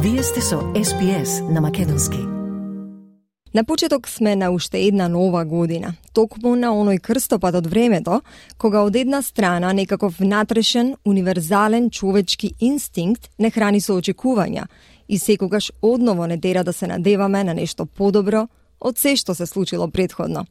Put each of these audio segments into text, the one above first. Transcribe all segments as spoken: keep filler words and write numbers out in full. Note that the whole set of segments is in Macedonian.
Вие сте со Ес Би Ес на македонски. На почеток сме на уште една нова година, токму на оној крстопат од времето, кога од една страна некаков внатрешен, универзален човечки инстинкт не храни со очекувања и секогаш одново не тера да се надеваме на нешто подобро од се што се случило претходно.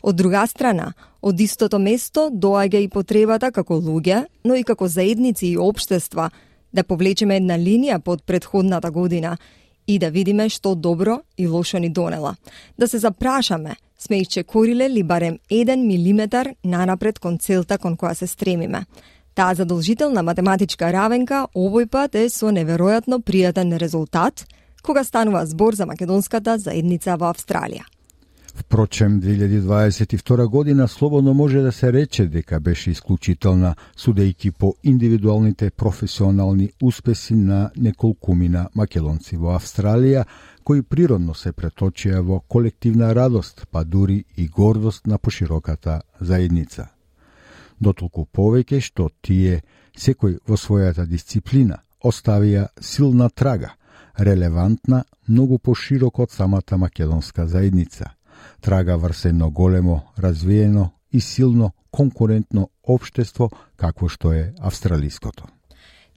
Од друга страна, од истото место доаѓа и потребата како луѓе, но и како заедници и општества да повлечеме една линија под претходната година и да видиме што добро и лошо ни донела. Да се запрашаме, сме исчекориле ли барем еден милиметар нанапред кон целта кон која се стремиме. Таа задолжителна математичка равенка овој пат е со неверојатно пријатен резултат, кога станува збор за македонската заедница во Австралија. Впрочем, две илјади дваесет и втора година слободно може да се рече дека беше исклучителна, судејќи по индивидуалните професионални успеси на неколкумина македонци во Австралија, кои природно се преточија во колективна радост, па дури и гордост на пошироката заедница. Дотолку повеќе што тие, секој во својата дисциплина, оставија силна трага, релевантна многу пошироко од самата македонска заедница. Трага врз едно големо, развиено и силно конкурентно општество какво што е австралиското.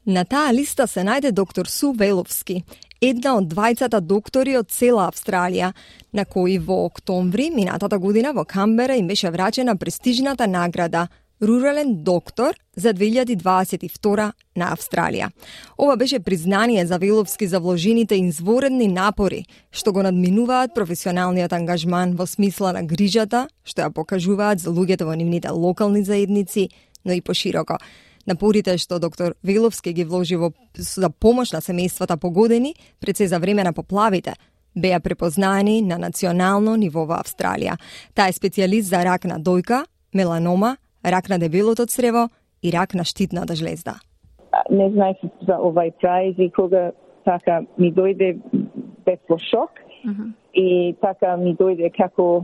На таа листа се најде доктор Су Веловски, една од двајцата доктори од цела Австралија, на кои во октомври минатата година во Камбера им беше врачена престижната награда Рурален доктор за две илјади дваесет и втора на Австралија. Ова беше признание за Веловски за вложените изворедни напори, што го надминуваат професионалниот ангажман во смисла на грижата, што ја покажуваат за луѓето во нивните локални заедници, но и пошироко. Напорите што доктор Веловски ги вложи во за помош на семејствата погодени пред се за време на поплавите, беа препознаени на национално ниво во Австралија. Таа е специјалист за рак на дојка, меланома, рак на дебелото црево и рак на штитната жлезда. Не знаех за овај праиз и кога така ми дојде бев во шок uh-huh. и така ми дојде како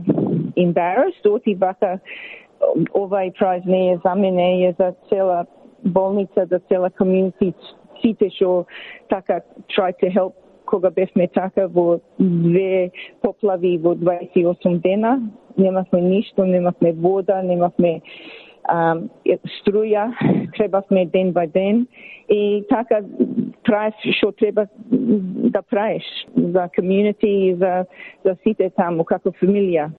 embarrassed, оти вака овај праиз не е за мене, е за цела болница, за цела community, сите што така try to help кога бевме така во две поплави во дваесет и осум дена, немавме ништо, немавме вода, немавме Um, струја, требавме ден бај ден и така праеш што треба да праеш за community, за, за сите таму како фамилија.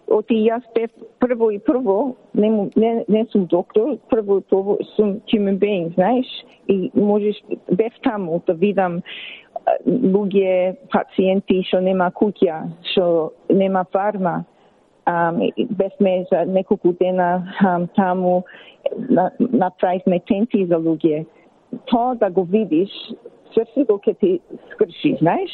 Оти јас бев прво и прво, не, не, не сум доктор, прво и прво сум human being, знаеш, и можеш, бев таму да видам луѓе, пациенти што нема куќа, што нема фарма. Um, бевме за неколку дена um, таму, направивме тенти за луѓе. Тоа да го видиш, сврсиго ке ти скрши, знаеш?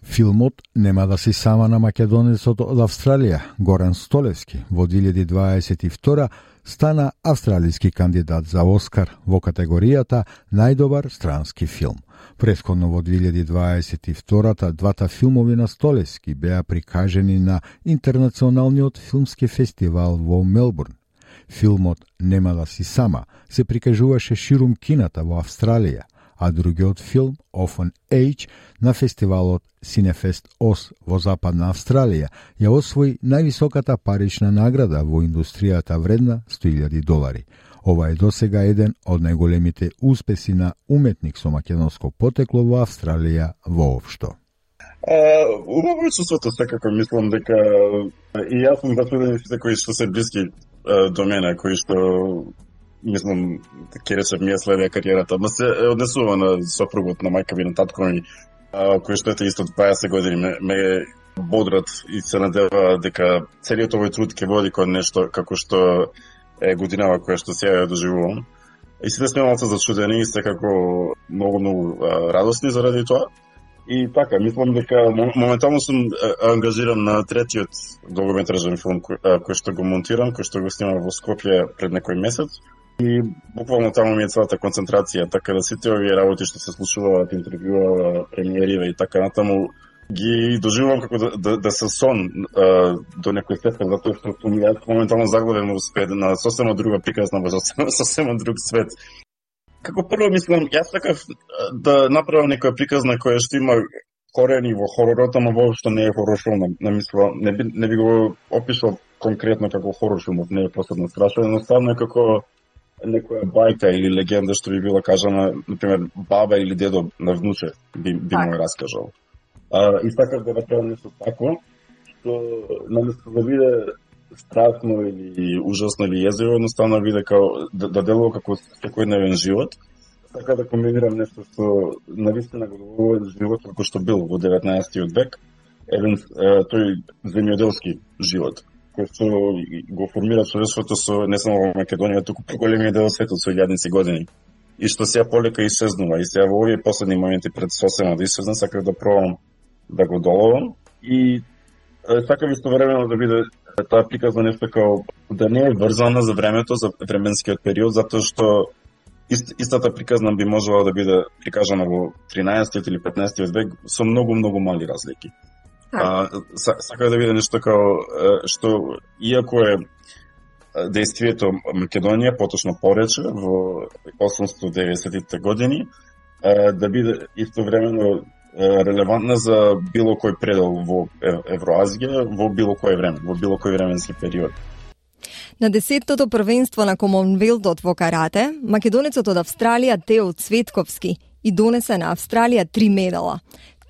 Филмот нема да си сама на македонецот од Австралија. Горан Столевски во две илјади дваесет и втора стана австралиски кандидат за Оскар во категоријата најдобар странски филм. Претходно во две илјади дваесет и втора двата филмови на Столевски беа прикажени на Интернационалниот филмски фестивал во Мелбурн. Филмот Нема да си сама се прикажуваше ширум кината во Австралија, а другиот филм Of an Age на фестивалот Cinefest Оз во Западна Австралија ја освои највисоката парична награда во индустријата вредна сто илјади долари. Ова е досега еден од најголемите успеси на уметник со македонско потекло во Австралија воопшто. Убаво чувството секако, мислам дека и јас сум запреден сите кои што се блиски до мене, кои што мислам ќе речем ми ја следеа кариерата, ма се однесува на сопругот на мајка ми, на татко ми, кој што ете исто дваесет години ме, ме бодрат и се надева дека целиот овој труд ќе води кон нешто како што е годинава која што сега ја доживувам. И сите сме малку зачудени и секако многу многу радосни заради тоа. И така, мислам дека моментално сум ангажиран на третиот долгометражен филм кој, кој што го монтирам, кој што го снимам во Скопје пред некој месец. И буквално таму ми е целата концентрација, така да сите овие работи што се случуваат, интервјуа, премиерива и така натаму, ги доживувам како да, да, да се сон а, до некој степен, затоа што сум јас моментално заглавен во свет на сосема друга приказна, во сосема друг свет. Како прво мислам, јас сакав да направам некоја приказна која што има корени во хоророт, ама воопшто не е хорор филм. Не мисла, не би не би го опишал конкретно како хорор филм, не е посебно страшно, едноставно е како некоја бајка или легенда што би била кажана, например, баба или дедо на внуче би, би му раскажал. А, и сакав да направам нешто тако, што наместо да биде страшно или ужасно или језиво, едноставно биде као да, да делува како секојдневен живот. Така да комбинирам нешто што навистина го делува живот како што бил во деветнаесеттиот век, еден тој земјоделски живот, кој што го формира човештвото со не само во Македонија, туку по големиот дел од светот со илјадници години. И што сега полека исчезнува. И сега во овие последни моменти пред сосема да исчезне, сакав да пробам да го доловам. И сакав истовремено да биде таа приказна нешто као да не е врзана за времето, за временскиот период, затоа што ист, истата приказна би можела да биде прикажана во тринаесеттиот или петнаесеттиот век со многу, многу мали разлики. А, сакав да биде нешто као што, иако е дејствието Македонија, поточно порече, во осумстотини и деветдесеттите години, да биде истовремено релевантна за било кој предел во Евроазија, во било кој време, во било кој временски период. На десеттото првенство на Комонвелтот во карате, македонецот од Австралија Тео Цветковски и донесе на Австралија три медала.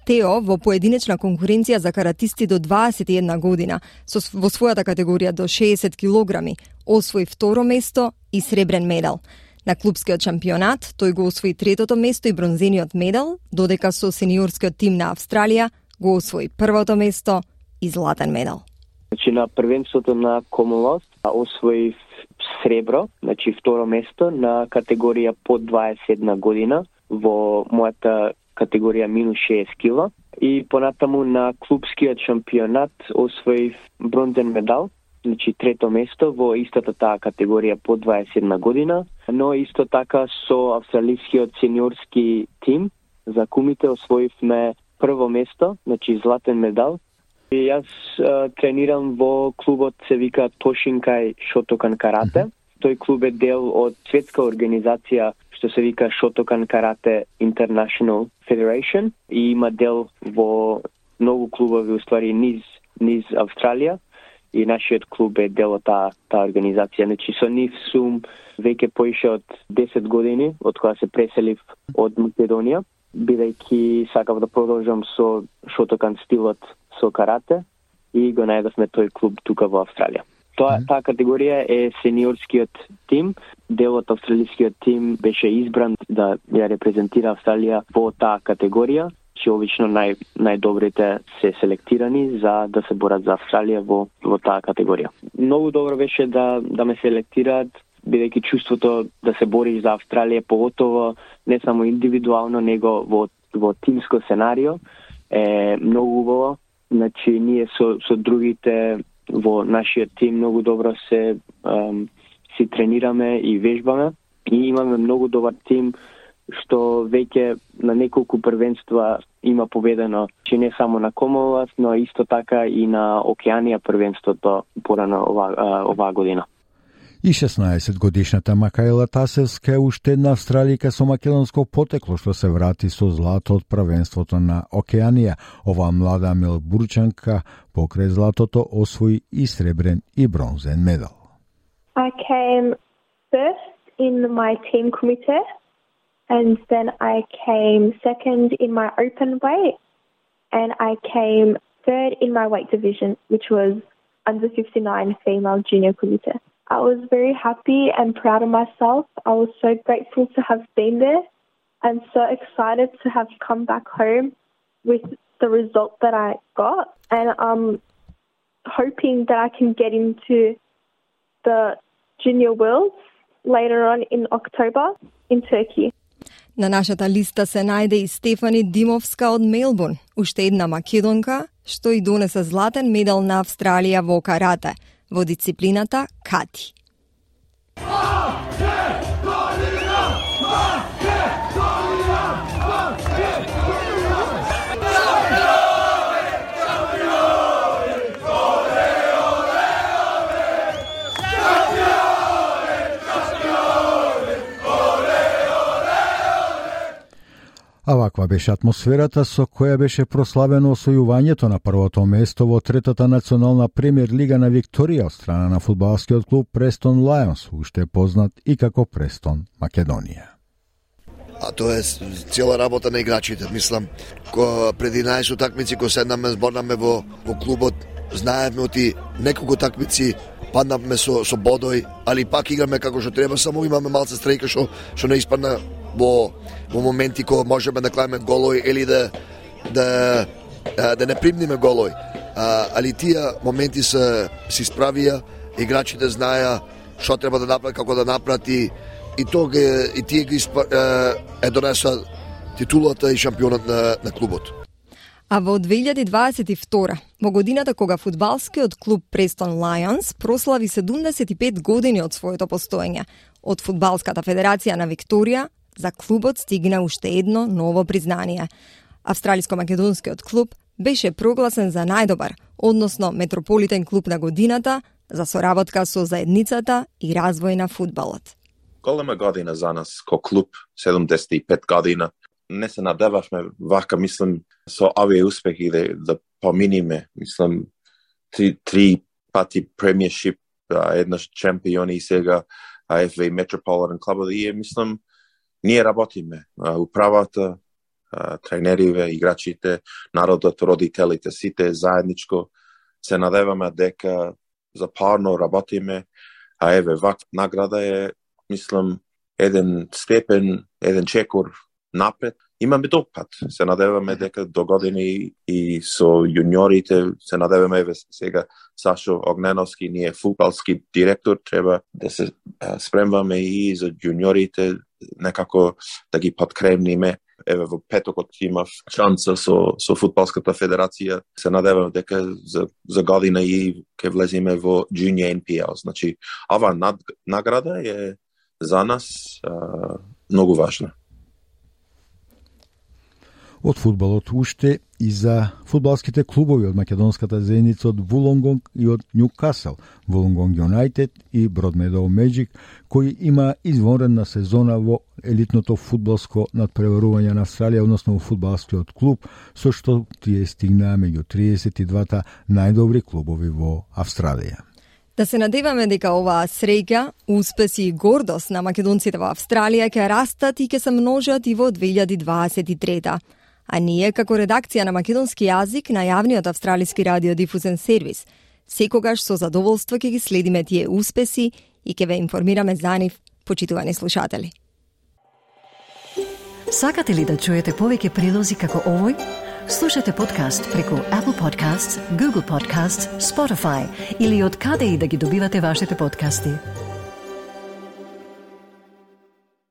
Тео во поединечна конкуренција за каратисти до дваесет и една година, со во својата категорија до шеесет килограми, освои второ место и сребрен медал. На клубскиот шампионат тој го освои третото место и бронзениот медал, додека со сениорскиот тим на Австралија го освои првото место и златен медал. Значи на првенството на Commonwealth освоив сребро, значи второ место на категорија под дваесет и една година во мојата категорија минус шеесет кила, и понатаму на клубскиот шампионат освоив бронзен медал, значи трето место во истата таа категорија под дваесет и една година, но исто така со австралискиот сениорски тим за кумите освоивме прво место, значи златен медал. И јас а, тренирам во клубот се вика Тошинкај Шотокан карате. Тој клуб е дел од светска организација што се вика Шотокан карате International Federation и има дел во многу клубови, уствари низ низ Австралија, и нашиот клуб е дел од таа таа организација. Значи со нив сум веќе поише од десет години од кога се преселив од Македонија, бидејќи сакав да продолжам со Шотокан стилот со карате, и го најдовме тој клуб тука во Австралија. Тоа таа категорија е сениорскиот тим. Дел од австралискиот тим беше избран да ја репрезентира Австралија во таа категорија, че обично нај најдобрите се селектирани за да се борат за Австралија во во таа категорија. Многу добро беше да да ме селектираат, бидејќи чувството да се бориш за Австралија, поготово не само индивидуално, него во во тимско сценарио, е многу убаво. Значи ние со со другите во нашиот тим многу добро се ем, си тренираме и вежбаме, и имаме многу добар тим што веќе на неколку првенства има победено, че не само на Commonwealth, но исто така и на Океанија првенството порано оваа ова година. И шеснаесетгодишната Макаела Тасевска е уште една австралика со македонско потекло што се врати со злато од првенството на Океанија. Оваа млада мелбурчанка покрај златото освои и сребрен и бронзен медал. I came first in my team committee, and then I came second in my open weight, and I came third in my weight division, which was under fifty-nine female junior committee. I was very happy and proud of myself. I was so grateful to have been there and so excited to have come back home with the result that I got. And I'm hoping that I can get into the Junior Worlds later on in October in Turkey. На нашата листа се најде и Стефани Димовска од Мелбурн, уште една македонка што и донесе златен медал на Австралија во карате во дисциплината кати. Таква беше атмосферата со која беше прославено освојувањето на првото место во третата национална премиер лига на Викторија од страна на фудбалскиот клуб Престон Лајонс, уште познат и како Престон Македонија. А тоа е цела работа на играчите. Мислам, ко пред единаесет утакмици кога седнаме, зборнаме во, во клубот, знаевме оти неколку такмици, паднавме со, со бодој, али пак играме како што треба, само имаме малце стрејка што што не испадна во, во моменти кога можеме да клајме голој или да да да не примниме голој. А, али тие моменти се се исправија, играчите знаеа што треба да направат, како да направат и и тоа и тие ги е донеса титулата и шампионот на на клубот. А во две илјади дваесет и втора, во годината кога фудбалскиот клуб Престон Лајонс прослави седумдесет и пет години од своето постоење, од Фудбалската федерација на Викторија, за клубот стигна уште едно ново признание. Австралиско-македонскиот клуб беше прогласен за најдобар, односно метрополитен клуб на годината, за соработка со заедницата и развој на фудбалот. Голема година за нас, ко клуб, седумдесет и пет година. Не се надевавме вака, мислам, со овие успехи да, да поминиме. Мислам, три, три пати премиершип, еднаш чемпиони и сега Еф Ей Metropolitan Club. И мислам, ние работиме. Управата, тренериве, играчите, народот, родителите, сите заедничко се надеваме дека запарно работиме. А еве, ваква награда е, мислам, еден степен, еден чекор напред. Имаме допад. Се надеваме дека до години и со јуниорите, се надеваме еве сега Сашо Огненовски, ние фудбалски директор, треба да се спремваме и за јуниорите, некако да ги подкремниме. Еве во петокот имав шанса со со фудбалската федерација. Се надеваме дека за за година и ќе влеземе во Junior Ен Пи Ел. Значи, ова над, награда е за нас а, многу важна. Од фудбалот уште и за фудбалските клубови од македонската заедница од Вулонгонг и од Ньюкасел, Вулонгонг Юнайтед и Бродмедоу Меджик, кои има извонредна сезона во елитното фудбалско надпреварување на Австралија, односно во фудбалскиот клуб, со што тие стигнаа меѓу триесет и двата најдобри клубови во Австралија. Да се надеваме дека оваа среќа, успеси и гордост на македонците во Австралија ќе растат и ќе се множат и во две илјади дваесет и трета. А ние, како редакција на македонски јазик на јавниот австралиски радиодифузен сервис, секогаш со задоволство ќе ги следиме тие успеси и ќе ве информираме за нив, почитувани слушатели. Сакате ли да чуете повеќе прилози како овој? Слушате подкаст преку Apple Podcasts, Google Podcasts, Spotify или од каде и да ги добивате вашите подкасти.